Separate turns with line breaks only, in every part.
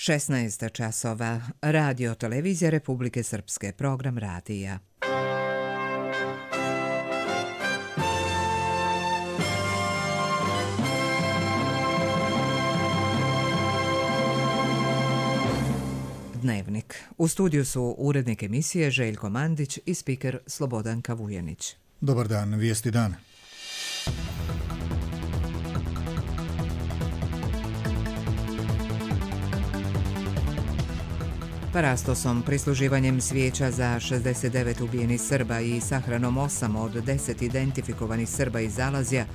16 časova. Radio televizija Republike Srpske. Program radija. Dnevnik. U studiju su urednik emisije Željko Mandić i spiker Slobodanka Vujanić.
Dobar dan, vijesti dana.
Parastosom, prisluživanjem svijeća za 69 ubijenih Srba i sahranom 8 od 10 identifikovanih Srba iz Zalazja,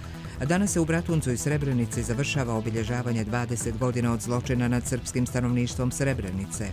danas se u Bratuncu i Srebrenici završava obilježavanje 20 godina od zločina nad srpskim stanovništvom Srebrenice.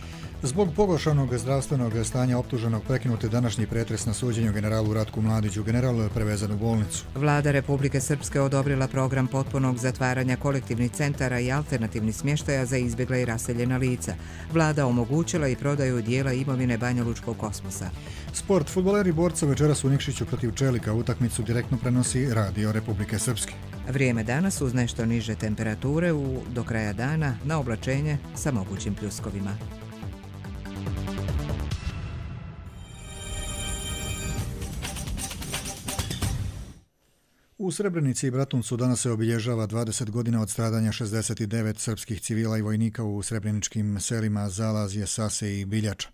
Zbog pogoršanog zdravstvenog stanja optuženog prekinut je današnji pretres na suđenju generalu Ratku Mladiću. General je prevezan u bolnicu.
Vlada Republike Srpske odobrila program potpunog zatvaranja kolektivnih centara i alternativnih smještaja za izbjegla i raseljena lica. Vlada omogućila i prodaju dijela imovine Banjalučkog kosmosa.
Sport. Fudbaleri borca večeras u Nikšiću protiv Čelika. Utakmicu direktno prenosi Radio Republike Srpske.
Vrijeme danas uz nešto niže temperature do kraja dana na oblačenje sa mogućim pljuskovima.
U Srebrenici i Bratuncu danas se obilježava 20 godina od stradanja 69 srpskih civila i vojnika u srebreničkim selima Zalazje, Sase i Biljača.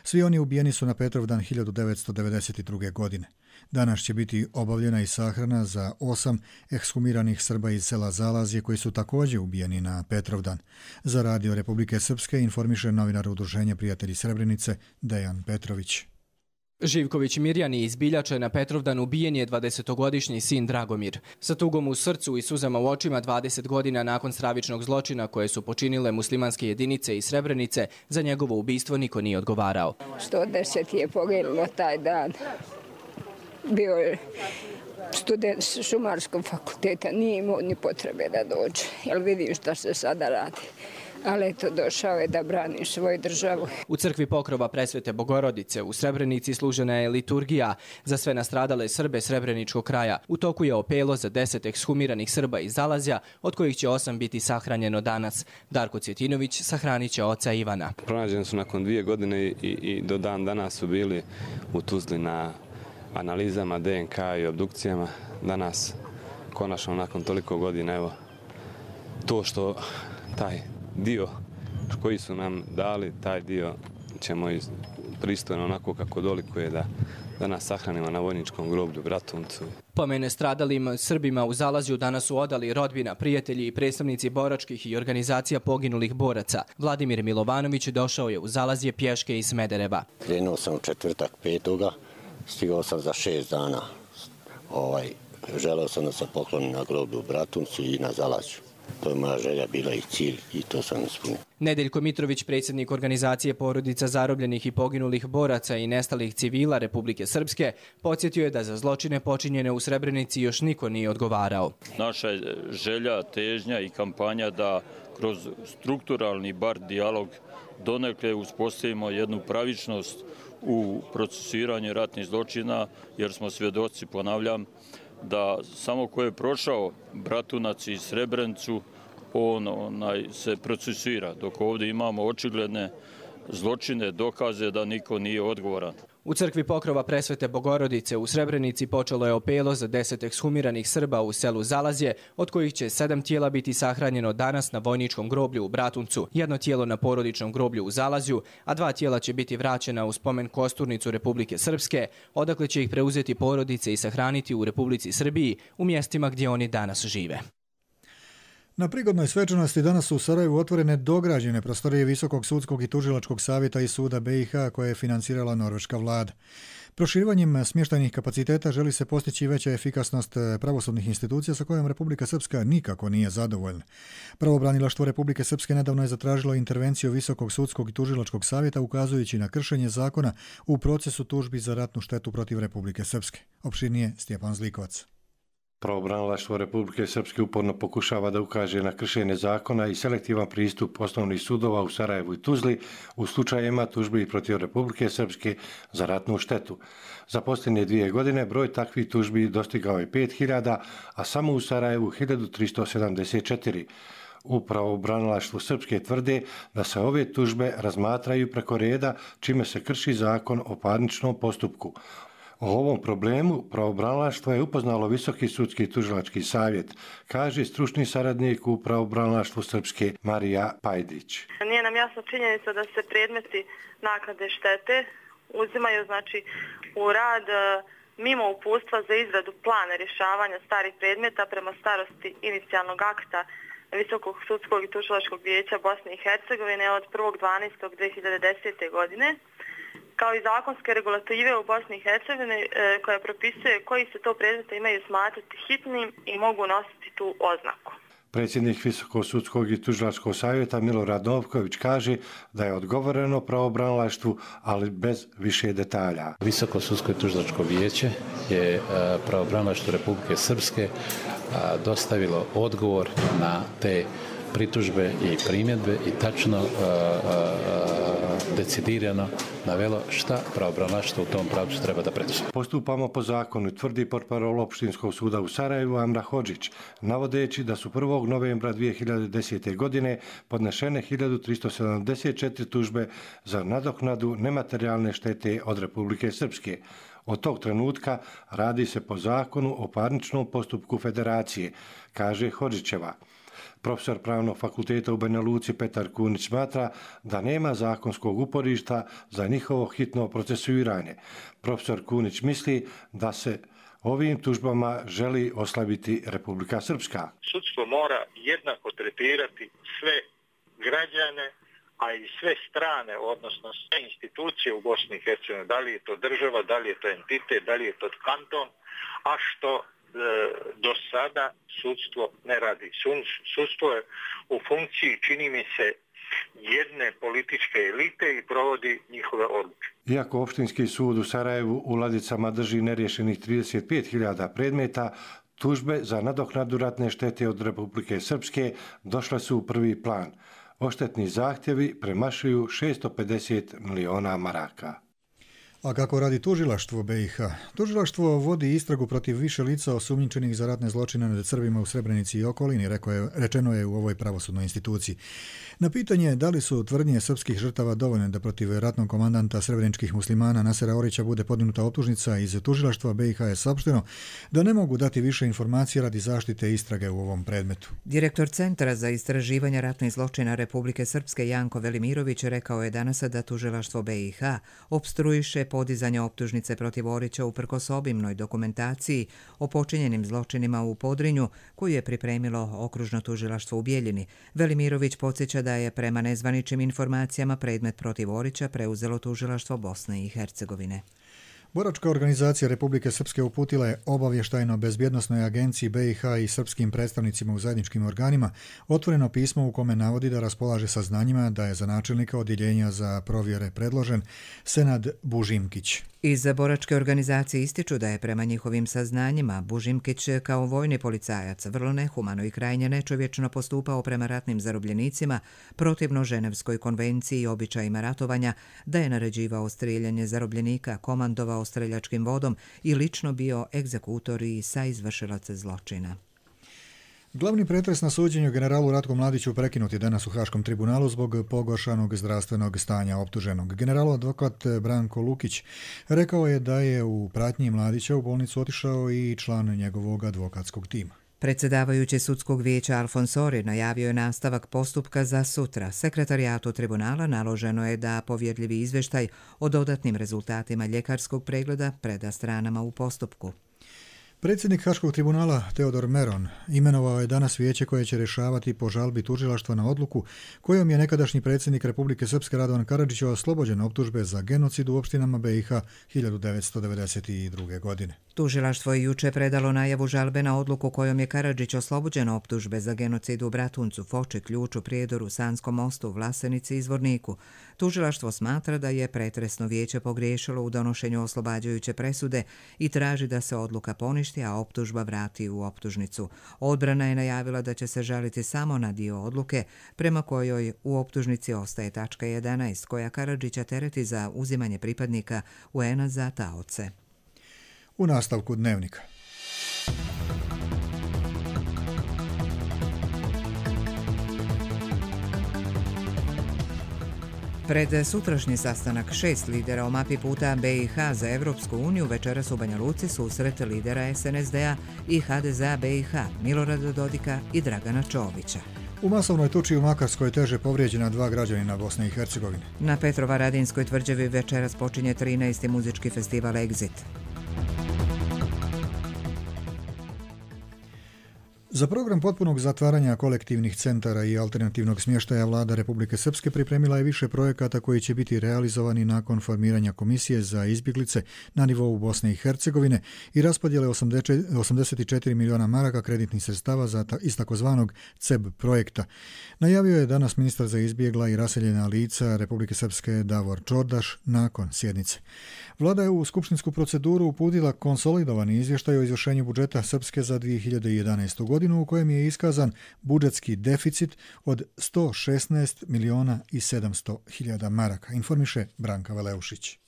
Svi oni ubijeni su na Petrovdan 1992. godine. Danas će biti obavljena i sahrana za 8 ekshumiranih Srba iz sela Zalazje koji su također ubijeni na Petrovdan. Za Radio Republike Srpske informiše novinar Udruženja Prijatelji Srebrenice Dejan Petrović.
Živković Mirjani iz Biljače na Petrovdan ubijen je 20-godišnji sin Dragomir. Sa tugom u srcu i suzama u očima 20 godina nakon stravičnog zločina koje su počinile muslimanske jedinice iz Srebrenice, za njegovo ubistvo niko nije odgovarao.
110 je poginulo taj dan. Bio je student Šumarskog fakulteta, nije imao ni potrebe da dođe, jer vidim šta se sada radi. Ali eto, došao je da brani svoju državu.
U crkvi Pokrova Presvete Bogorodice u Srebrenici služena je liturgija za sve nastradale Srbe Srebreničkog kraja. U toku je opelo za 10 ekshumiranih Srba iz Zalazja, od kojih će 8 biti sahranjeno danas. Darko Cvjetinović sahranit će oca Ivana.
Pronađeni su nakon 2 godine i do dan danas su bili u Tuzli na analizama DNK i obdukcijama. Danas, konačno nakon toliko godina, evo, to što taj dio koji su nam dali, taj dio ćemo pristojno onako kako dolikuje da nas sahranimo na vojničkom groblju Bratuncu.
Pomene stradalim Srbima u Zalazju danas su odali rodbina, prijatelji i predstavnici boračkih i organizacija poginulih boraca. Vladimir Milovanović došao je u Zalazje pješke iz Smedereva.
Krenuo sam u četvrtak 5. Stigao sam za 6 dana. Želeo sam da se poklonim na groblju Bratuncu i na Zalazju. To je moja želja bila i cilj i to sam ispunio.
Nedeljko Mitrović, predsjednik organizacije porodica zarobljenih i poginulih boraca i nestalih civila Republike Srpske, podsjetio je da za zločine počinjene u Srebrenici još niko nije odgovarao.
Naša je želja, težnja i kampanja da kroz strukturalni bar dijalog donekle uspostavimo jednu pravičnost u procesuiranju ratnih zločina, jer smo svjedoci, ponavljam, da samo ko je prošao Bratunac i Srebrenicu, on se procesuira, dok ovdje imamo očigledne zločine, dokaze da niko nije odgovoran.
U crkvi Pokrova Presvete Bogorodice u Srebrenici počelo je opelo za 10 ekshumiranih Srba u selu Zalazje, od kojih će 7 tijela biti sahranjeno danas na vojničkom groblju u Bratuncu, 1 tijelo na porodičnom groblju u Zalazju, a 2 tijela će biti vraćena u spomen kosturnicu Republike Srpske, odakle će ih preuzeti porodice i sahraniti u Republici Srbiji u mjestima gdje oni danas žive.
Na prigodnoj svečanosti danas su u Sarajevu otvorene dograđene prostorije Visokog sudskog i tužilačkog savjeta i suda BiH koje je financirala norveška vlada. Proširivanjem smještajnih kapaciteta želi se postići veća efikasnost pravosudnih institucija sa kojom Republika Srpska nikako nije zadovoljna. Pravobranilaštvo Republike Srpske nedavno je zatražilo intervenciju Visokog sudskog i tužilačkog savjeta ukazujući na kršenje zakona u procesu tužbi za ratnu štetu protiv Republike Srpske. Opširnije Stjepan Zlikovac.
Pravobranilaštvo Republike Srpske uporno pokušava da ukaže na kršenje zakona i selektivan pristup osnovnih sudova u Sarajevu i Tuzli u slučajevima tužbi protiv Republike Srpske za ratnu štetu. Za posljednje 2 godine broj takvih tužbi dostigao je 5000, a samo u Sarajevu 1374. U pravobranilaštvu Srpske tvrde da se ove tužbe razmatraju preko reda, čime se krši zakon o parničnom postupku. O ovom problemu pravobranilaštvo je upoznalo Visoki sudski tužilački savjet, kaže stručni saradnik u pravobranilaštvu Srpske Marija Pajdić.
Nije nam jasna činjenica da se predmeti naknade štete uzimaju u rad mimo uputstva za izradu plana rješavanja starih predmeta prema starosti inicijalnog akta Visokog sudskog i tužilačkog vijeća Bosne i Hercegovine od 1.12.2010. godine, kao i zakonske regulative u Bosni i Hercegovini koja propisuje koji se to predmeta imaju smatrati hitnim i mogu nositi tu oznaku.
Predsjednik Visokog sudskog i tužilačkog savjeta Milorad Novković kaže da je odgovoreno pravobranilaštvu, ali bez više detalja.
Visoko sudsko i tužilačko vijeće je pravobranilaštvu Republike Srpske dostavilo odgovor na te pritužbe i primjedbe i tačno decidirano navelo šta pravobranilaštvo u tom pravcu treba da preduzme.
Postupamo po zakonu, tvrdi portparol Opštinskog suda u Sarajevu Amra Hodžić, navodeći da su 1. novembra 2010. godine podnešene 1374 tužbe za nadoknadu nematerijalne štete od Republike Srpske. Od tog trenutka radi se po zakonu o parničnom postupku federacije, kaže Hodžićeva. Profesor Pravnog fakulteta u Banja Luci Petar Kunić smatra da nema zakonskog uporišta za njihovo hitno procesuiranje. Profesor Kunić misli da se ovim tužbama želi oslabiti Republika Srpska.
Sudstvo mora jednako tretirati sve građane, a i sve strane, odnosno sve institucije u Bosni i Hercegovini, da li je to država, da li je to entitet, da li je to kanton, a što do sada sudstvo ne radi. Sudstvo je u funkciji, čini mi se, jedne političke elite i provodi njihove odluke.
Iako Opštinski sud u Sarajevu u ladicama drži nerješenih 35.000 predmeta, tužbe za nadoknadu ratne štete od Republike Srpske došle su u prvi plan. Odštetni zahtjevi premašuju 650 miliona maraka.
A kako radi tužilaštvo BiH? Tužilaštvo vodi istragu protiv više lica osumnjičenih za ratne zločine nad Srbima u Srebrenici i okolini, rečeno je u ovoj pravosudnoj instituciji. Na pitanje da li su tvrdnje srpskih žrtava dovoljne da protiv ratnog komandanta srebreničkih muslimana Nasera Orića bude podignuta optužnica, iz tužilaštva BiH je saopšteno da ne mogu dati više informacije radi zaštite istrage u ovom predmetu.
Direktor Centra za istraživanje ratnih zločina Republike Srpske Janko Velimirović rekao je danas da tužilaštvo BiH opstruiše podizanje optužnice protiv Orića uprkos obimnoj dokumentaciji o počinjenim zločinima u Podrinju koju je pripremilo okružno tužilaštvo u Bijeljini. Velimirović podsjeća da je prema nezvaničnim informacijama predmet protiv Orića preuzelo tužilaštvo Bosne i Hercegovine.
Boračka organizacija Republike Srpske uputila je obavještajno-bezbjednosnoj agenciji BiH i srpskim predstavnicima u zajedničkim organima otvoreno pismo u kome navodi da raspolaže saznanjima da je za načelnika odjeljenja za provjere predložen Senad Bužimkić.
Iz boračke organizacije ističu da je prema njihovim saznanjima Bužimkić kao vojni policajac vrlo nehumano i krajnje nečovječno postupao prema ratnim zarobljenicima, protivno Ženevskoj konvenciji i običajima ratovanja, da je naređivao strijeljanje zarobljenika, komandovao streljačkim vodom i lično bio egzekutor i saizvršilac zločina.
Glavni pretres na suđenju generalu Ratku Mladiću prekinut je danas u Haškom tribunalu zbog pogoršanog zdravstvenog stanja optuženog. Generalov advokat Branko Lukić rekao je da je u pratnji Mladića u bolnicu otišao i član njegovog advokatskog tima.
Predsjedavajući sudskog vijeća Alfonsori najavio je nastavak postupka za sutra. Sekretarijatu tribunala naloženo je da povjerljivi izvještaj o dodatnim rezultatima ljekarskog pregleda preda stranama u postupku.
Predsjednik Haškog tribunala Teodor Meron imenovao je danas vijeće koje će rješavati po žalbi tužilaštva na odluku kojom je nekadašnji predsjednik Republike Srpske Radovan Karadžić oslobođen optužbe za genocid u opštinama BiH 1992. godine.
Tužilaštvo je juče predalo najavu žalbe na odluku kojom je Karadžić oslobođen optužbe za genocid u Bratuncu, Foči, Ključu, Prijedoru, Sanskom mostu, Vlasenici i Zvorniku. Tužilaštvo smatra da je pretresno vijeće pogriješilo u donošenju oslobađajuće presude i traži da se odluka poništi, a optužba vrati u optužnicu. Odbrana je najavila da će se žaliti samo na dio odluke prema kojoj u optužnici ostaje tačka 11 koja Karadžića tereti za uzimanje pripadnika UN-a za taoce.
U nastavku dnevnika.
Pred sutrašnji sastanak 6 lidera o mapi puta BiH za Evropsku uniju večeras u Banja Luci susret lidera SNSD-a i HDZ-a BiH Milorada Dodika i Dragana Čovića.
U masovnoj tuči u Makarskoj teže povrijeđena 2 građanina Bosne i Hercegovine.
Na Petrovaradinskoj tvrđavi večeras počinje 13. muzički festival Exit.
Za program potpunog zatvaranja kolektivnih centara i alternativnog smještaja vlada Republike Srpske pripremila je više projekata koji će biti realizovani nakon formiranja komisije za izbjeglice na nivou Bosne i Hercegovine i raspodjele 84 miliona maraka kreditnih sredstava iz takozvanog CEB projekta. Najavio je danas ministar za izbjegla i raseljena lica Republike Srpske Davor Čordaš nakon sjednice. Vlada je u skupštinsku proceduru uputila konsolidovani izvještaj o izvršenju budžeta Srpske za 2011. godinu u kojem je iskazan budžetski deficit od 116 miliona i 700 hiljada maraka, informiše Branka Veleušić.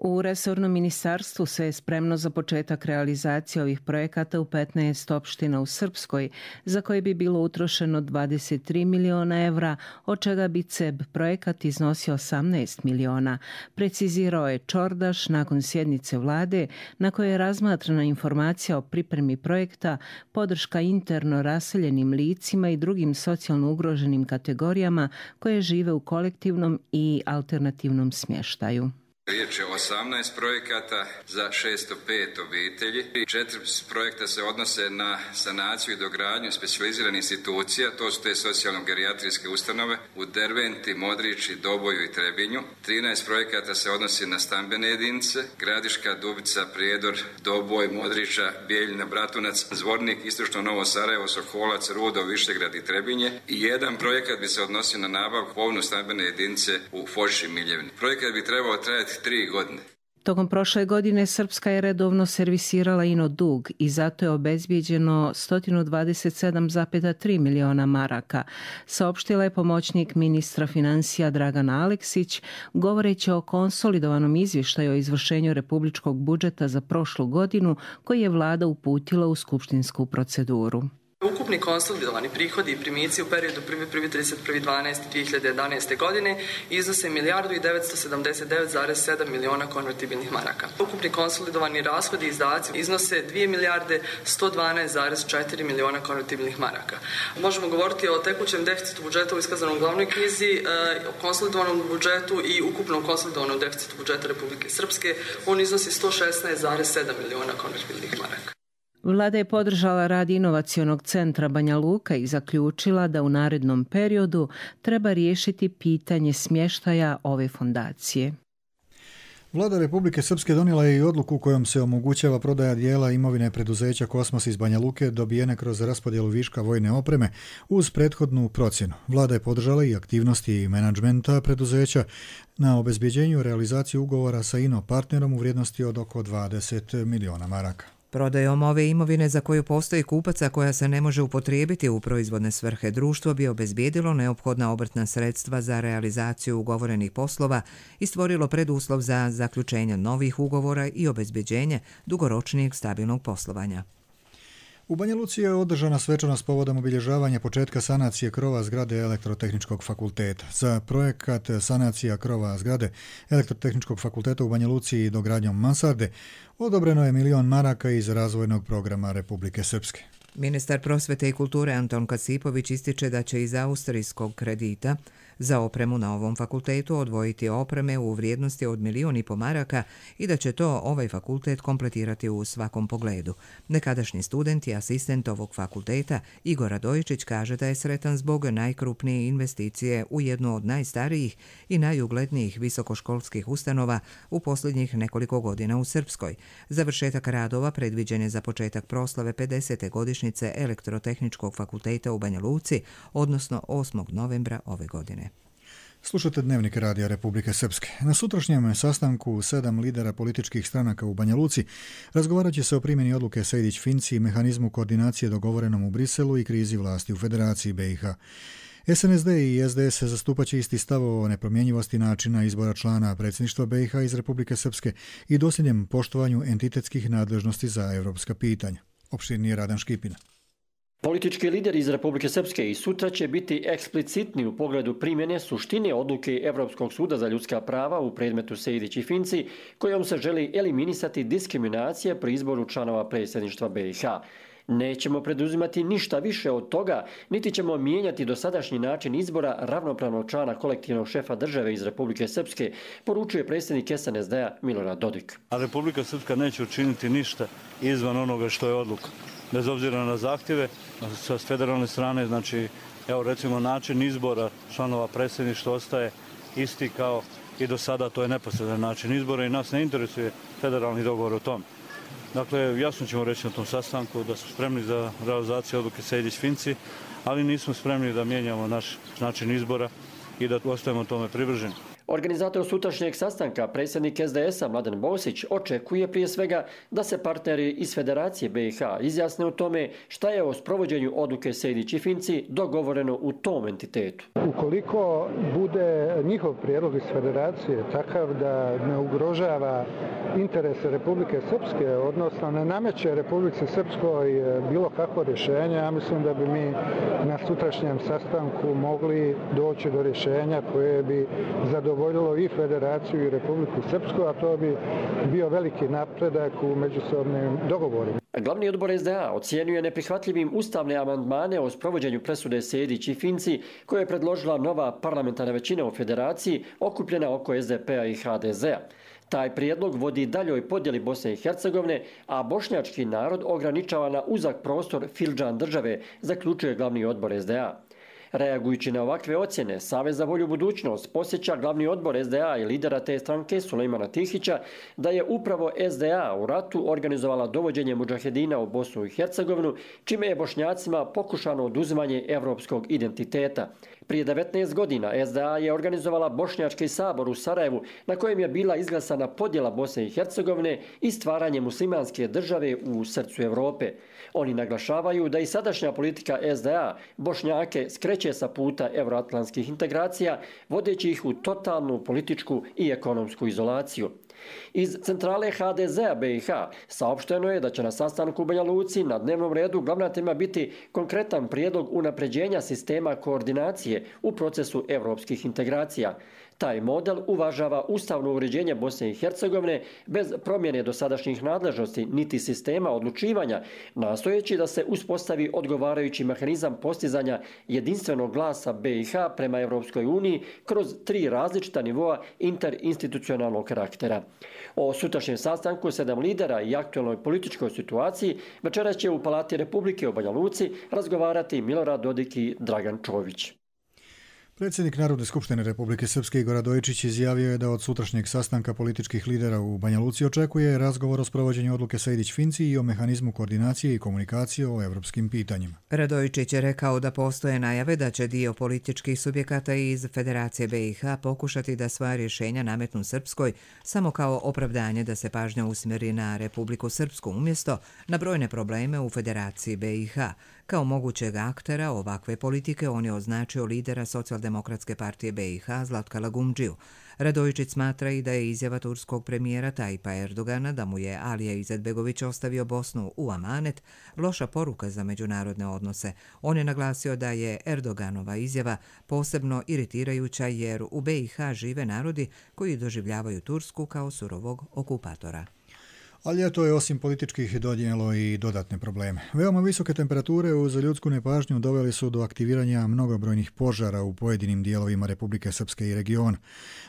U resornom ministarstvu se je spremno za početak realizacije ovih projekata u 15 opština u Srpskoj, za koje bi bilo utrošeno 23 miliona evra, od čega bi CEB projekat iznosio 18 miliona, precizirao je Čordaš nakon sjednice vlade na kojoj je razmatrana informacija o pripremi projekta, podrška interno raseljenim licima i drugim socijalno ugroženim kategorijama koje žive u kolektivnom i alternativnom smještaju.
Riječ je o 18 projekata za 605 obitelji. 4 projekta se odnose na sanaciju i dogradnju specijaliziranih institucija, to su te socijalno-gerijatrijske ustanove u Derventi, Modrići, Doboju i Trebinju. 13 projekata se odnosi na stambene jedinice, Gradiška, Dubica, Prijedor, Doboj, Modrića, Bijeljina, Bratunac, Zvornik, Istočno Novo Sarajevo, Sokolac, Rudo, Višegrad i Trebinje. I jedan projekat bi se odnosio na nabavku polovne stambene jedinice u Foši Miljevini. Projekat bi trebao trajati 3 godine.
Tokom prošle godine Srpska je redovno servisirala ino dug i zato je obezbijeđeno 127,3 miliona maraka, saopštila je pomoćnik ministra financija Dragana Aleksić, govoreći o konsolidovanom izvještaju o izvršenju republičkog budžeta za prošlu godinu koji je vlada uputila u skupštinsku proceduru.
Ukupni konsolidovani prihodi i primici u periodu 1.1.31.12.2011. godine iznose milijardu i 979,7 miliona konvertibilnih maraka. Ukupni konsolidovani rashodi i izdaci iznose 2 milijarde 112,4 miliona konvertibilnih maraka. Možemo govoriti o tekućem deficitu budžeta u iskazanom glavnoj knjizi, o konsolidovanom budžetu i ukupnom konsolidovanom deficitu budžeta Republike Srpske. On iznosi 116,7 miliona konvertibilnih maraka.
Vlada je podržala rad inovacionog centra Banja Luka i zaključila da u narednom periodu treba riješiti pitanje smještaja ove fondacije.
Vlada Republike Srpske donijela je i odluku kojom se omogućava prodaja dijela imovine preduzeća Kosmos iz Banja Luke dobijene kroz raspodjelu viška vojne opreme uz prethodnu procjenu. Vlada je podržala i aktivnosti menadžmenta preduzeća na obezbjeđenju realizaciju ugovora sa INO partnerom u vrijednosti od oko 20 miliona maraka.
Prodajom ove imovine za koju postoji kupaca koja se ne može upotrijebiti u proizvodne svrhe, društvo bi obezbijedilo neophodna obrtna sredstva za realizaciju ugovorenih poslova i stvorilo preduslov za zaključenje novih ugovora i obezbijeđenje dugoročnijeg stabilnog poslovanja.
U Banja Luci je održana svečanost povodom obilježavanja početka sanacije krova zgrade Elektrotehničkog fakulteta. Za projekat sanacija krova zgrade Elektrotehničkog fakulteta u Banja Luci i dogradnjom mansarde odobreno je 1 milion maraka iz razvojnog programa Republike Srpske.
Ministar prosvete i kulture Anton Kasipović ističe da će iz austrijskog kredita za opremu na ovom fakultetu odvojiti opreme u vrijednosti od 1,5 miliona maraka i da će to ovaj fakultet kompletirati u svakom pogledu. Nekadašnji student i asistent ovog fakulteta Igor Radojičić kaže da je sretan zbog najkrupnije investicije u jednu od najstarijih i najuglednijih visokoškolskih ustanova u posljednjih nekoliko godina u Srpskoj. Završetak radova predviđen je za početak proslave 50. godišnjice Elektrotehničkog fakulteta u Banja Luci, odnosno 8. novembra ove godine.
Slušate Dnevnik Radija Republike Srpske. Na sutrašnjem sastanku 7 lidera političkih stranaka u Banja Luci razgovarat će se o primjeni odluke Sejdić-Finci i mehanizmu koordinacije dogovorenom u Briselu i krizi vlasti u Federaciji BiH. SNSD i SDS zastupaće isti stav o nepromjenjivosti načina izbora člana predsjedništva BiH iz Republike Srpske i dosljednjem poštovanju entitetskih nadležnosti za evropska pitanja. Opširnije Radan Škipina.
Politički lideri iz Republike Srpske i sutra će biti eksplicitni u pogledu primjene suštine odluke Evropskog suda za ljudska prava u predmetu Sejdić i Finci, kojom se želi eliminisati diskriminacija pri izboru članova predsjedništva BiH. Nećemo preduzimati ništa više od toga, niti ćemo mijenjati dosadašnji način izbora ravnopravnog člana kolektivnog šefa države iz Republike Srpske, poručuje predsjednik SNSD-a Milorad Dodik.
A Republika Srpska neće učiniti ništa izvan onoga što je odluka. Bez obzira na zahtjeve sa federalne strane, znači, evo recimo način izbora članova predsjedništva ostaje isti kao i do sada, to je neposredan način izbora i nas ne interesuje federalni dogovor o tom. Dakle, jasno ćemo reći na tom sastanku da smo spremni za realizaciju odluke Sejdić-Finci, ali nismo spremni da mijenjamo naš način izbora i da ostajemo tome privrženi.
Organizator sutrašnjeg sastanka, predsjednik SDS-a Mladen Bosić, očekuje prije svega da se partneri iz Federacije BiH izjasne u tome šta je o sprovođenju odluke Sejdić i Finci dogovoreno u tom entitetu.
Ukoliko bude njihov prijedlog iz Federacije takav da ne ugrožava interese Republike Srpske, odnosno ne nameće Republike Srpskoj bilo kakvo rješenje, ja mislim da bi mi na sutrašnjem sastanku mogli doći do rješenja koje bi zadovoljilo i Federaciju i Republiku Srpsku, a to bi bio veliki napredak u međusobnim dogovorima.
Glavni odbor SDA ocijenjuje neprihvatljivim ustavne amandmane o sprovođenju presude Sejdić i Finci koje je predložila nova parlamentarna većina u Federaciji okupljena oko SDP-a i HDZ-a. Taj prijedlog vodi daljoj podjeli Bosne i Hercegovine, a bošnjački narod ograničava na uzak prostor fildžan države, zaključuje glavni odbor SDA. Reagujući na ovakve ocjene, Savez za volju budućnost posjeća glavni odbor SDA i lidera te stranke Sulejmana Tihića da je upravo SDA u ratu organizovala dovođenje mudžahedina u Bosnu i Hercegovinu, čime je Bošnjacima pokušano oduzimanje evropskog identiteta. Prije 19 godina SDA je organizovala Bošnjački sabor u Sarajevu na kojem je bila izglasana podjela Bosne i Hercegovine i stvaranje muslimanske države u srcu Europe. Oni naglašavaju da i sadašnja politika SDA Bošnjake skreće sa puta euroatlantskih integracija, vodeći ih u totalnu političku i ekonomsku izolaciju. Iz centrale HDZ-a BiH saopšteno je da će na sastanku u Banja Luci na dnevnom redu glavna tema biti konkretan prijedlog unapređenja sistema koordinacije u procesu evropskih integracija. Taj model uvažava ustavno uređenje Bosne i Hercegovine bez promjene dosadašnjih nadležnosti niti sistema odlučivanja, nastojeći da se uspostavi odgovarajući mehanizam postizanja jedinstvenog glasa BiH prema Evropskoj uniji kroz 3 različita nivoa interinstitucionalnog karaktera. O sutrašnjem sastanku 7 lidera i aktualnoj političkoj situaciji večeras će u Palati Republike u Banja Luci razgovarati Milorad Dodik i Dragan Čović.
Predsjednik Narodne skupštine Republike Srpske Igor Radojičić izjavio je da od sutrašnjeg sastanka političkih lidera u Banja Luci očekuje razgovor o sprovođenju odluke Sejdić-Finci i o mehanizmu koordinacije i komunikacije o evropskim pitanjima.
Radojičić je rekao da postoje najave da će dio političkih subjekata iz Federacije BiH pokušati da svoja rješenja nametnu Srpskoj samo kao opravdanje da se pažnja usmjeri na Republiku Srpsku umjesto na brojne probleme u Federaciji BiH. Kao mogućeg aktera ovakve politike on je označio lidera Socijaldemokratske partije BiH Zlatka Lagumdžiju. Radojičić smatra i da je izjava turskog premijera Tajipa Erdogana da mu je Alija Izetbegović ostavio Bosnu u amanet loša poruka za međunarodne odnose. On je naglasio da je Erdoganova izjava posebno iritirajuća jer u BiH žive narodi koji doživljavaju Tursku kao surovog okupatora.
Ali ljeto je osim političkih donijelo i dodatne probleme. Veoma visoke temperature uz ljudsku nepažnju doveli su do aktiviranja mnogobrojnih požara u pojedinim dijelovima Republike Srpske i regiona.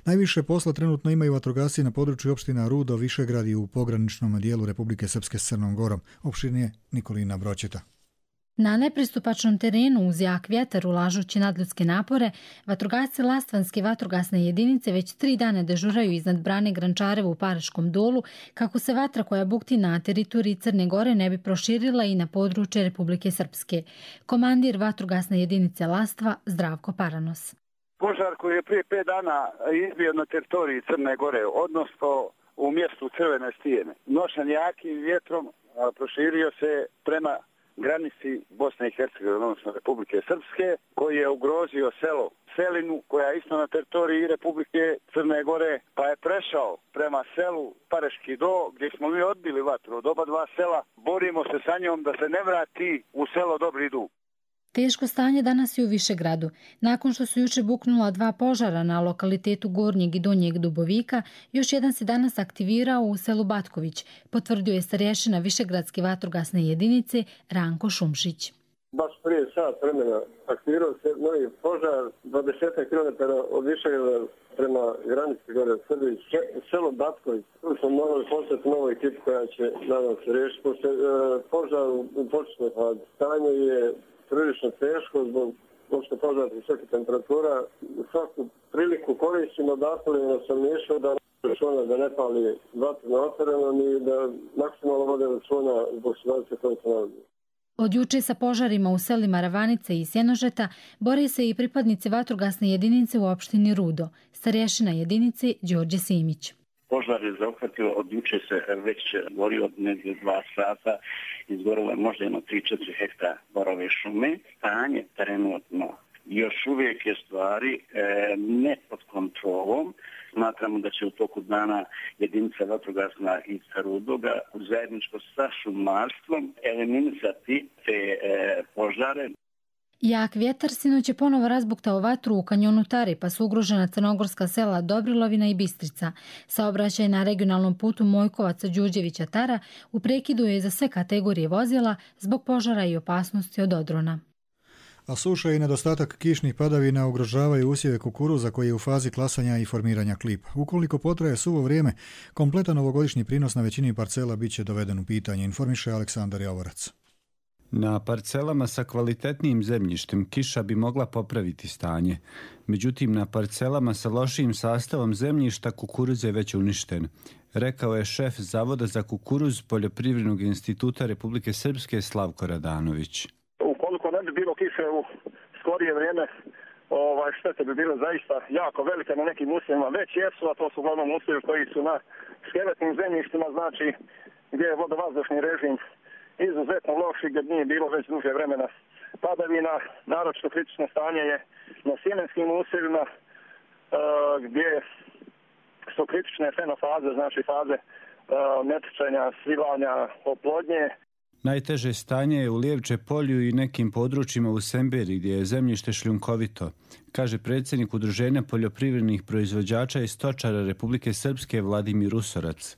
Najviše posla trenutno imaju vatrogasci na području opština Rudo, Višegrad i u pograničnom dijelu Republike Srpske s Crnom Gorom. Opširnije Nikolina Broćeta.
Na nepristupačnom terenu uz jak vjetar ulažući nadljudske napore, vatrogasci Lastvanske vatrogasne jedinice već 3 dana dežuraju iznad brane Grančarevo u Paraškom dolu kako se vatra koja bukti na teritoriji Crne Gore ne bi proširila i na područje Republike Srpske. Komandir vatrogasne jedinice Lastva Zdravko Paranos.
Požar koji je prije 5 dana izbio na teritoriji Crne Gore, odnosno u mjestu Crvene stijene, nošen jakim vjetrom proširio se prema granici Bosne i Hercegovine, odnosno Republike Srpske, koji je ugrozio selo Selinu, koja je isto na teritoriji Republike Crne Gore, pa je prešao prema selu Pareški do, gdje smo mi odbili vatru od oba dva sela. Borimo se sa njom da se ne vrati u selo Dobri Dug.
Teško stanje danas je u Višegradu. Nakon što su juče buknula 2 požara na lokalitetu Gornjeg i Donjeg Dubovika, još jedan se danas aktivirao u selu Batković, potvrdio je starješina Višegradske vatrogasne jedinice Ranko Šumšić.
Baš prije sat vremena aktivirao se novi požar 20 km od Višegrada prema granici gore u Srbiji, selo Batković. Tu smo morali poslati novu ekipu koja će, nadam se, riješiti. Pošto požar u početnoj fazi stanje je prilično teško zbog požara visoke temperatura. U svaku priliku koristimo da apelujemo na stanovništvo da računa da ne pali vatru na otvorenom i da maksimalno vode računa zbog situacije koje se nalazi.
Od juče sa požarima u selima Ravanice i Sjenožeta bore se i pripadnici vatrogasne jedinice u opštini Rudo, starješina jedinice Đorđe Simić.
Požar je zahvatio, od juče se već borio od negdje 2 sata, izgorilo je možda jedno 3-4 hektar borove šume. Stanje trenutno još uvijek je stvari ne pod kontrolom. Smatramo da će u toku dana jedinica vatrogasna iz Rudoga zajedničko sa šumarstvom eliminisati te požare.
Jak vjetar sinoć je ponovo razbuktao vatru u kanjonu Tare, pa su ugrožena crnogorska sela Dobrilovina i Bistrica. Saobraćaj na regionalnom putu Mojkovaca-Đurđevića-Tara u prekidu je za sve kategorije vozila zbog požara i opasnosti od odrona.
A suša i nedostatak kišnih padavina ugrožavaju usjeve kukuruza koji je u fazi klasanja i formiranja klipa. Ukoliko potraje suvo vrijeme, kompletan ovogodišnji prinos na većini parcela bit će doveden u pitanje, informiše Aleksandar Javorac.
Na parcelama sa kvalitetnijim zemljištem kiša bi mogla popraviti stanje. Međutim, na parcelama sa lošijim sastavom zemljišta kukuruz je već uništen, rekao je šef Zavoda za kukuruz Poljoprivrednog instituta Republike Srpske Slavko Radanović.
Ukoliko ne bi bilo kiše u skorije vrijeme, štete bi bile zaista jako velike na nekim usjevima. Već jesu, a to su uglavnom usjevi koji su na skeletnim zemljištima, znači gdje je vodovazdušni režim izuzetno loši, gdje nije bilo već duže vremena padavina. Naročito kritično stanje je na sjemenskim usjevima gdje su kritične fenofaze, znači faze netočenja, svilanja, oplodnje.
Najteže stanje je u Lijevče polju i nekim područjima u Semberi gdje je zemljište šljunkovito, kaže predsjednik Udruženja poljoprivrednih proizvođača i stočara Republike Srpske Vladimir Usorac.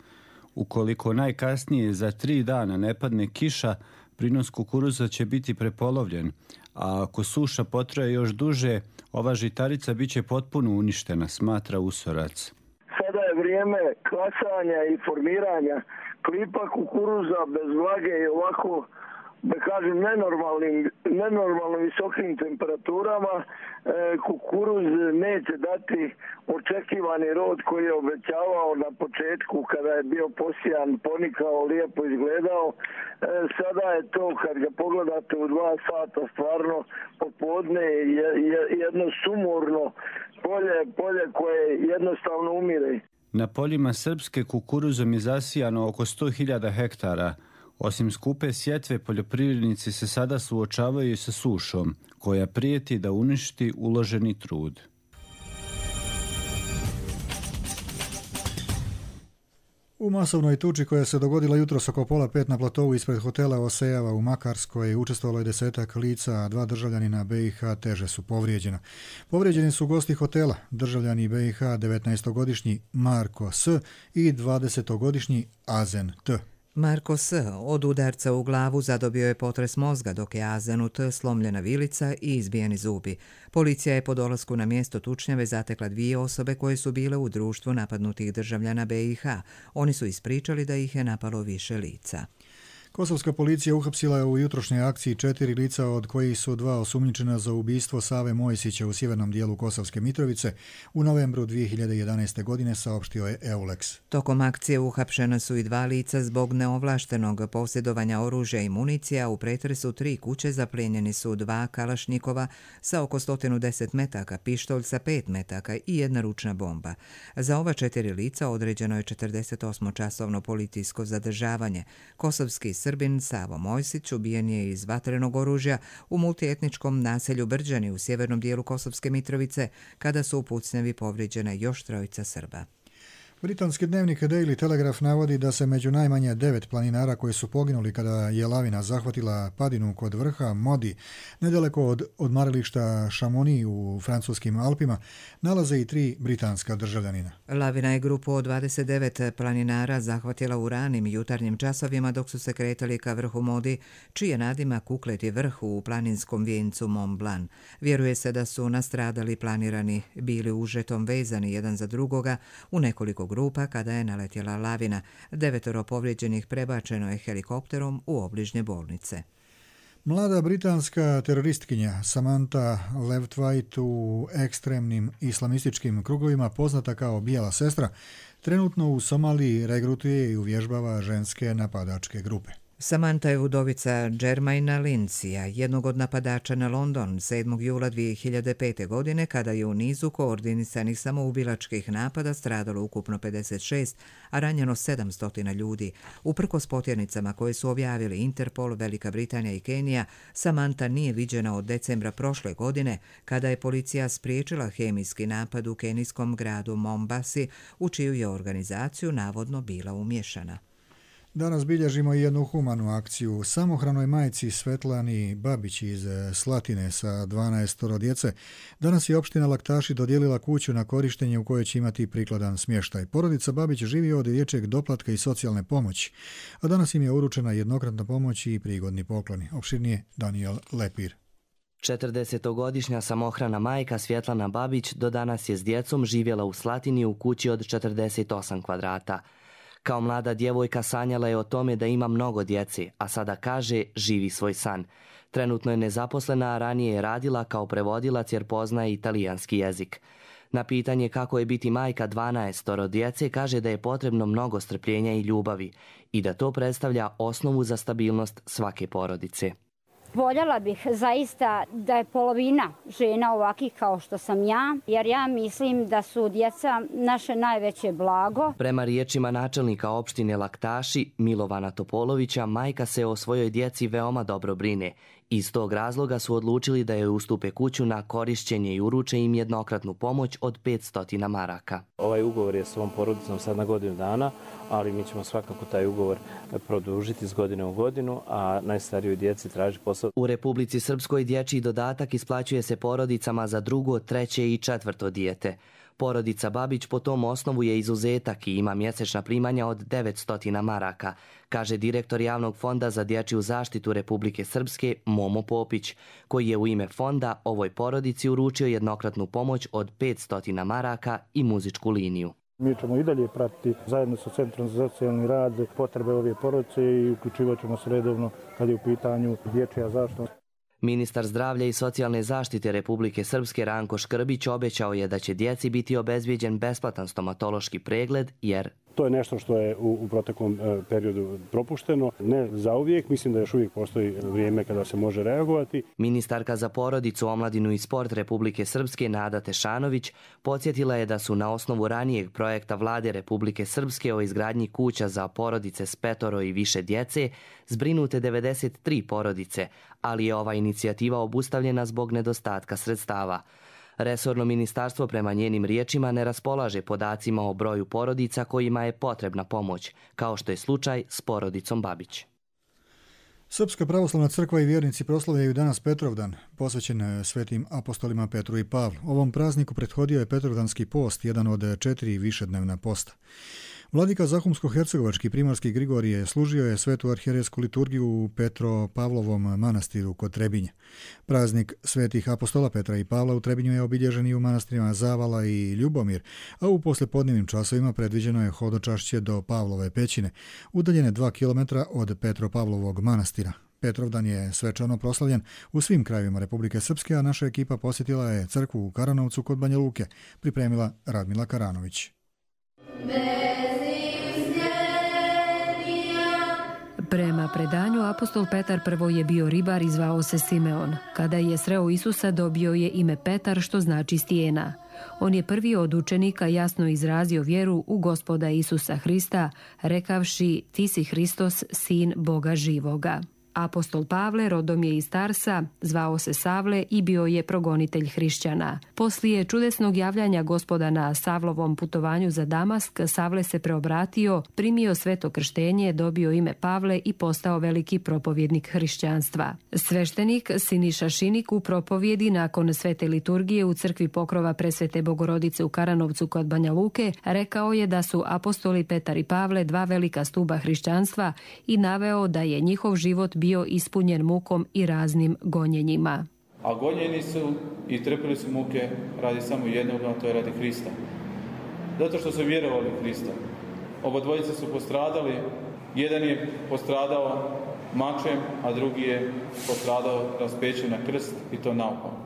Ukoliko najkasnije za 3 dana ne padne kiša, prinos kukuruza će biti prepolovljen, a ako suša potraje još duže, ova žitarica bit će potpuno uništena, smatra Usorac.
Sada je vrijeme klasanja i formiranja klipa kukuruza bez vlage i ovako, da kažem, nenormalno visokim temperaturama. Kukuruz neće dati očekivani rod koji je obećavao na početku kada je bio posijan, ponikao, lijepo izgledao. Sada je to, kad ga pogledate u 2 sata, stvarno popodne jedno sumorno polje koje jednostavno umire.
Na poljima Srpske kukuruzom je zasijano oko 100.000 hektara. Osim skupe sjetve, poljoprivrednici se sada suočavaju sa sušom, koja prijeti da uništi uloženi trud.
U masovnoj tuči koja se dogodila jutros oko 4:30 na platovu ispred hotela Osejava u Makarskoj učestvovalo je 10-ak lica, a 2 državljanina BiH teže su povrijeđena. Povrijeđeni su gosti hotela, državljani BiH 19-godišnji Marko S. i 20-godišnji Azen T.
Marko S. od udarca u glavu zadobio je potres mozga, dok je Azenu T. slomljena vilica i izbijeni zubi. Policija je po dolasku na mjesto tučnjave zatekla 2 osobe koje su bile u društvu napadnutih državljana BiH. Oni su ispričali da ih je napalo više lica.
Kosovska policija uhapsila je u jutrošnjoj akciji 4 lica, od kojih su 2 osumnjičena za ubistvo Save Mojsića u sjevernom dijelu Kosovske Mitrovice u novembru 2011. godine, saopštio je EULEX.
Tokom akcije uhapšena su i 2 lica zbog neovlaštenog posjedovanja oružja i municija. U pretresu 3 kuće zaplijenjeni su 2 kalašnjikova sa oko 110 metaka, pištolj sa 5 metaka i 1 ručna bomba. Za ova 4 lica određeno je 48-časovno policijsko zadržavanje. Kosovski Srbin Savo Mojsić ubijen je iz vatrenog oružja u multietničkom naselju Brđani u sjevernom dijelu Kosovske Mitrovice, kada su u pucnjavi povrijeđena još 3 Srba.
Britanski dnevnik Daily Telegraph navodi da se među najmanje 9 planinara koji su poginuli kada je lavina zahvatila padinu kod vrha Modi, nedaleko od odmarališta Chamonix u francuskim Alpima, nalaze i 3 britanska državljanina.
Lavina je grupu od 29 planinara zahvatila u ranim jutarnjim časovima dok su se kretali ka vrhu Modi, čiji je nadimak ukleti vrh u planinskom vijencu Mont Blanc. Vjeruje se da su nastradali planirani bili užetom vezani jedan za drugoga u nekoliko grupa kada je naletjela lavina. 9 povrijeđenih prebačeno je helikopterom u obližnje bolnice.
Mlada britanska teroristkinja Samantha Lewtwite, u ekstremnim islamističkim krugovima poznata kao Bijela sestra, trenutno u Somaliji regrutuje i uvježbava ženske napadačke grupe.
Samantha je udovica Jermaina Lindsaya, jednog od napadača na London 7. jula 2005. godine, kada je u nizu koordinisanih samoubilačkih napada stradalo ukupno 56, a ranjeno 700 ljudi. Uprkos potjernicama koje su objavili Interpol, Velika Britanija i Kenija, Samantha nije viđena od decembra prošle godine, kada je policija spriječila hemijski napad u kenijskom gradu Mombasi, u čiju je organizaciju navodno bila umješana.
Danas bilježimo i jednu humanu akciju. Samohranoj majci Svetlani Babić iz Slatine sa 12 djece danas je opština Laktaši dodijelila kuću na korištenje u kojoj će imati prikladan smještaj. Porodica Babić živi od dječjeg doplatka i socijalne pomoći, a danas im je uručena jednokratna pomoć i prigodni pokloni. Opširnije Daniel Lepir.
40-godišnja samohrana majka Svjetlana Babić do danas je s djecom živjela u Slatini u kući od 48 kvadrata. Kao mlada djevojka sanjala je o tome da ima mnogo djece, a sada kaže živi svoj san. Trenutno je nezaposlena, a ranije je radila kao prevodilac jer poznaje italijanski jezik. Na pitanje kako je biti majka 12 djece kaže da je potrebno mnogo strpljenja i ljubavi i da to predstavlja osnovu za stabilnost svake porodice.
Voljela bih zaista da je polovina žena ovakih kao što sam ja, jer ja mislim da su djeca naše najveće blago.
Prema riječima načelnika opštine Laktaši, Milovana Topolovića, majka se o svojoj djeci veoma dobro brine. Iz tog razloga su odlučili da joj ustupe kuću na korišćenje i uruče im jednokratnu pomoć od 500 maraka.
Ovaj ugovor je s ovom porodicom sad na godinu dana, ali mi ćemo svakako taj ugovor produžiti iz godine u godinu, a najstarijoj djeci traži posao.
U Republici Srpskoj dječji dodatak isplaćuje se porodicama za 2., 3. i 4. dijete. Porodica Babić po tom osnovu je izuzetak i ima mjesečna primanja od 900 maraka, kaže direktor Javnog fonda za dječju zaštitu Republike Srpske Momo Popić, koji je u ime fonda ovoj porodici uručio jednokratnu pomoć od 500 maraka i muzičku liniju.
Mi ćemo i dalje pratiti zajedno sa Centrom za socijalni rad potrebe ove porodice i uključivat ćemo se redovno kad je u pitanju dječja zaštita.
Ministar zdravlja i socijalne zaštite Republike Srpske Ranko Škrbić obećao je da će djeci biti obezbijeđen besplatan stomatološki pregled jer
to je nešto što je u proteklom periodu propušteno. Ne zauvijek, mislim da još uvijek postoji vrijeme kada se može reagovati.
Ministarka za porodicu, omladinu i sport Republike Srpske Nada Tešanović podsjetila je da su na osnovu ranijeg projekta Vlade Republike Srpske o izgradnji kuća za porodice s 5 i više djece zbrinute 93 porodice, ali je ova inicijativa obustavljena zbog nedostatka sredstava. Resorno ministarstvo prema njenim riječima ne raspolaže podacima o broju porodica kojima je potrebna pomoć, kao što je slučaj s porodicom Babić.
Srpska pravoslavna crkva i vjernici proslavljaju danas Petrovdan, posvećen svetim apostolima Petru i Pavlu. Ovom prazniku prethodio je Petrovdanski post, jedan od 4 višednevna posta. Vladika Zahumsko-hercegovački primarski Grigorije služio je svetu arhijerejsku liturgiju u Petro-Pavlovom manastiru kod Trebinja. Praznik svetih apostola Petra i Pavla u Trebinju je obilježen i u manastirima Zavala i Ljubomir, a u poslepodnevnim časovima predviđeno je hodočašće do Pavlove pećine, udaljene 2 km od Petro-Pavlovog manastira. Petrovdan je svečano proslavljen u svim krajevima Republike Srpske, a naša ekipa posjetila je crkvu u Karanovcu kod Banja Luke, pripremila Radmila Karanović.
Prema predanju, apostol Petar prvo je bio ribar i zvao se Simeon. Kada je sreo Isusa, dobio je ime Petar, što znači stijena. On je prvi od učenika jasno izrazio vjeru u Gospoda Isusa Hrista, rekavši: Ti si Hristos, sin Boga živoga. Apostol Pavle rodom je iz Tarsa, zvao se Savle i bio je progonitelj hrišćana. Poslije čudesnog javljanja Gospoda na Savlovom putovanju za Damask, Savle se preobratio, primio sveto krštenje, dobio ime Pavle i postao veliki propovjednik hrišćanstva. Sveštenik Siniša Šinik u propovjedi nakon svete liturgije u crkvi Pokrova Presvete Bogorodice u Karanovcu kod Banja Luke rekao je da su apostoli Petar i Pavle dva velika stuba hrišćanstva i naveo da je njihov život bio ispunjen mukom i raznim gonjenjima.
A gonjeni su i trpili su muke radi samo jednog, a to je radi Hrista. Zato što su vjerovali u Hrista. Oba dvojice su postradali, jedan je postradao mačem, a drugi je postradao raspećen na krst i to naopako.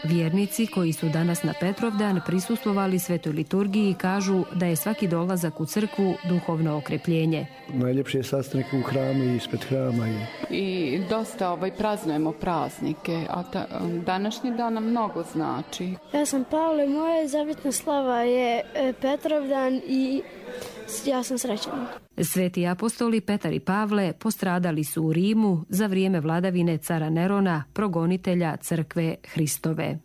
Vjernici koji su danas na Petrovdan prisustvovali svetoj liturgiji kažu da je svaki dolazak u crkvu duhovno okrepljenje.
Najljepši je sastanak u hramu i ispred hrama.
I dosta praznujemo praznike, a današnji dan nam mnogo znači.
Ja sam Pavle, moja zavjetna slava je Petrovdan i ja sam srećan.
Sveti apostoli Petar i Pavle postradali su u Rimu za vrijeme vladavine cara Nerona, progonitelja crkve Hristove.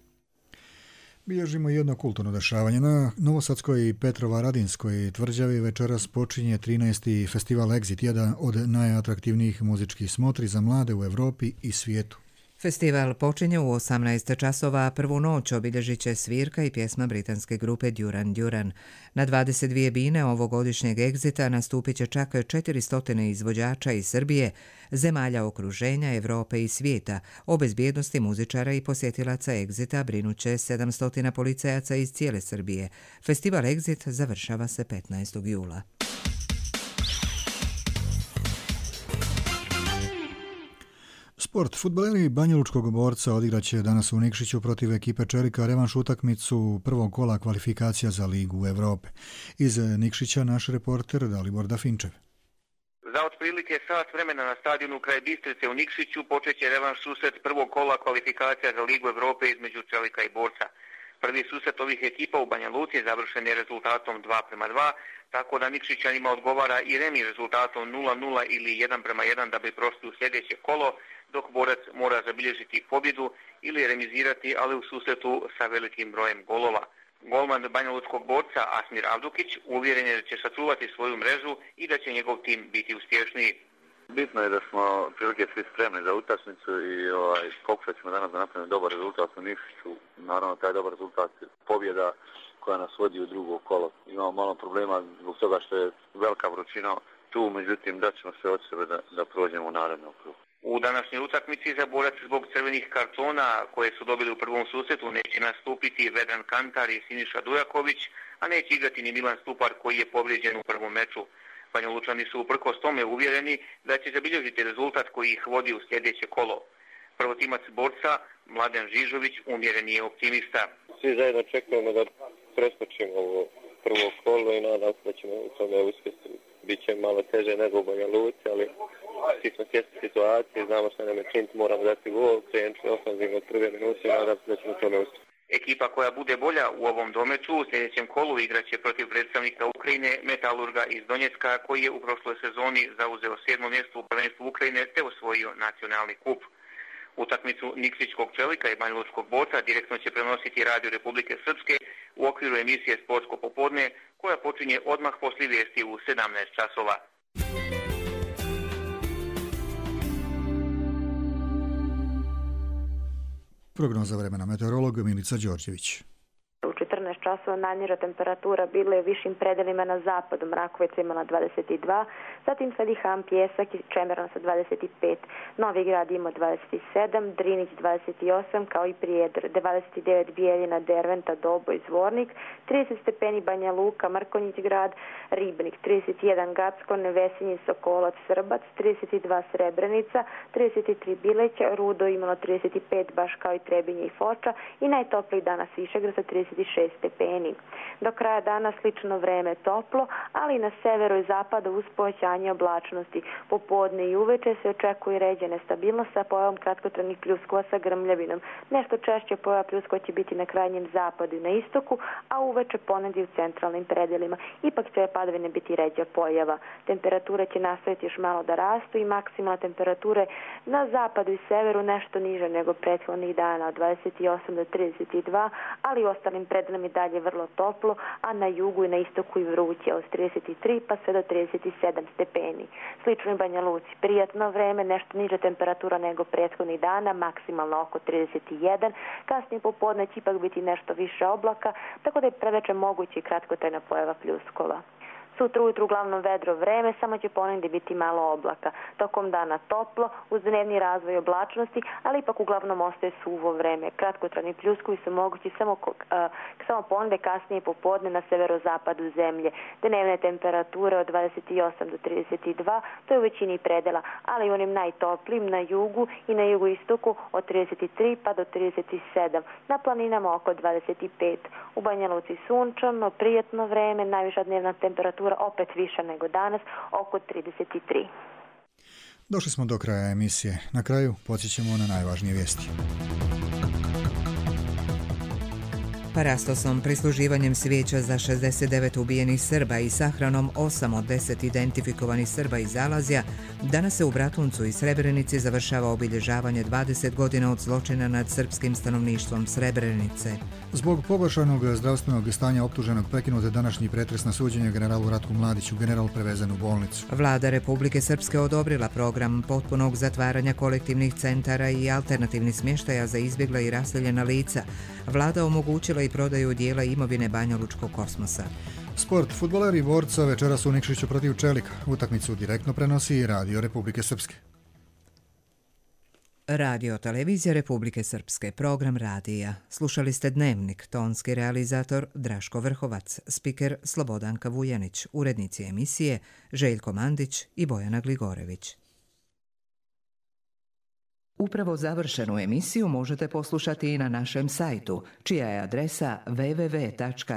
Bilježimo jedno kulturno dešavanje. Na Novosadskoj i Petrovaradinskoj tvrđavi večeras počinje 13. festival Exit, jedan od najatraktivnijih muzičkih smotri za mlade u Europi i svijetu.
Festival počinje u 18 časova, prvu noć obilježit će svirka i pjesma britanske grupe Duran Duran. Na 22 bine ovogodišnjeg Exita nastupit će čak 400 izvođača iz Srbije, zemalja okruženja, Europe i svijeta. O bezbjednosti muzičara i posjetilaca Exita brinuće 700 policajaca iz cijele Srbije. Festival Exit završava se 15. jula.
Sport. Fudbaleri Banjalučkog Borca odigraće danas u Nikšiću protiv ekipe Čelika revanš utakmicu prvog kola kvalifikacija za Ligu Europe. Iz Nikšića naš reporter Dalibor Dafinčev.
Za otprilike sat vremena na stadionu kraj Bistrice u Nikšiću počeće revanš susret prvog kola kvalifikacija za Ligu Europe između Čelika i Borca. Prvi susret ovih ekipa u Banja Luci završen je rezultatom 2:2, tako da Nikšićanima odgovara i remi rezultatom 0:0 ili 1:1 da bi prošli u sljedeće kolo, dok Borac mora zabilježiti pobjedu ili remizirati, ali u susretu sa velikim brojem golova. Golman Banjalučkog Borca Asmir Avdukić uvjeren je da će sačuvati svoju mrežu i da će njegov tim biti uspješniji.
Bitno je da smo prilike svi spremni za utakmicu i pokušat ćemo danas da napravimo dobar rezultat u Nikšiću. Naravno, taj dobar rezultat je pobjeda koja nas vodi u drugo kolo. Imamo malo problema zbog toga što je velika vrućina tu, međutim dat ćemo sve od sebe da prođemo u narednom krugu.
U današnjoj utakmici za Borac zbog crvenih kartona koje su dobili u prvom susretu neće nastupiti Vedran Kantar i Siniša Dujaković, a neće igrati ni Milan Stupar koji je povrijeđen u prvom meču. Banjalučani su uprkos tome uvjereni da će zabilježiti rezultat koji ih vodi u sljedeće kolo. Prvotimac Borca, Mladen Žižović, umjereni je optimista.
Svi zajedno čekamo da preskočimo ovo prvo kolo i nadam se da ćemo u tome uspjeti. Biće malo teže nego u Banja Luci, ali svi smo svjesni situacije, znamo što nam je činiti, moramo dati gol, krenuti ofenzivno od prve minute i nadam se da ćemo u tome uspjeti.
Ekipa koja bude bolja u ovom domeću u sljedećem kolu igraće protiv predstavnika Ukrajine Metalurga iz Donjecka koji je u prošloj sezoni zauzeo 7. mjesto u prvenstvu Ukrajine te osvojio nacionalni kup. Utakmicu Nikšićkog Čelika i Banjalučkog Borca direktno će prenositi Radio Republike Srpske u okviru emisije Sportsko popodne koja počinje odmah poslije vijesti u 17 časova.
Prognoza vremena meteorolog Milica Đorđević.
U 14 časova najniža temperatura bila je u višim predelima na zapadu. Mrakovica imala 22, zatim sledi Ham, Pjesak i Čemeran sa 25. Novi Grad ima 27, Drinić 28, kao i Prijedor, 29 Bijeljina, Derventa, Dobo i Zvornik, 30 stepeni Banja Luka, Mrkonjić Grad, Ribnik, 31 Gacko, Nevesinji, Sokolac, Srbac, 32 Srebrenica, 33 Bileća, Rudo imalo 35, baš kao i Trebinje i Foča i najtopliji danas Višegrad sa 36 stepeni. stepeni. Do kraja dana slično vreme toplo, ali na severu i zapadu uz povećanje oblačnosti. Popodne i uveče se očekuje ređa nestabilnost sa pojavom kratkotrajnih pljuskova sa grmljavinom. Nešto češće pojava pljuskova će biti na krajnjem zapadu i na istoku, a uveče ponegdje u centralnim predelima. Ipak će padavine biti ređa pojava. Temperature će nastaviti još malo da rastu i maksimalne temperature na zapadu i severu nešto niže nego prethodnih dana od 28 do 32, ali u ostalim predelima i dalje vrlo toplo, a na jugu i na istoku i vruće od 33 pa sve do 37 stepeni. Slično i Banja Luci. Prijatno vreme, nešto niža temperatura nego prethodnih dana, maksimalno oko 31. Kasnije popodne će ipak biti nešto više oblaka, tako da je preveče moguće i kratkotrajna pojava pljuskova. Sutra ujutru uglavnom vedro vreme, samo će ponegdje biti malo oblaka. Tokom dana toplo, uz dnevni razvoj oblačnosti, ali ipak uglavnom ostaje suvo vreme. Kratkotrajni pljuskovi su mogući samo ponegdje kasnije popodne na severozapadu zemlje. Dnevne temperature od 28 do 32, to je u većini predela, ali i onim najtoplijim na jugu i na jugoistoku od 33 pa do 37. Na planinama oko 25. U Banja Luci sunčano, prijatno vreme, najviša dnevna temperatura opet više nego danas, oko 33.
Došli smo do kraja emisije. Na kraju podsjećamo na najvažnije vijesti.
Parastosom, prisluživanjem svijeća za 69 ubijenih Srba i sahranom 8 od 10 identifikovanih Srba iz Zalazja, danas se u Bratuncu i Srebrenici završava obilježavanje 20 godina od zločina nad srpskim stanovništvom Srebrenice.
Zbog pogoršanog zdravstvenog stanja optuženog prekinut je današnji pretres na suđenje generalu Ratku Mladiću, general prevezen u bolnicu.
Vlada Republike Srpske odobrila program potpunog zatvaranja kolektivnih centara i alternativnih smještaja za izbjegla i raseljena lica. Vlada omogućila i prodaju dijela imovine Banjalučkog kosmosa.
Sport. Fudbaleri Borca večeras u Nikšiću protiv Čelika. Utakmicu direktno prenosi i Radio Republike Srpske.
Radio Televizija Republike Srpske, program radija. Slušali ste Dnevnik, tonski realizator Draško Vrhovac, spiker Slobodanka Vujanić, urednici emisije Željko Mandić i Bojana Gligorević. Upravo završenu emisiju možete poslušati i na našem sajtu, čija je adresa www.rtrs.tv.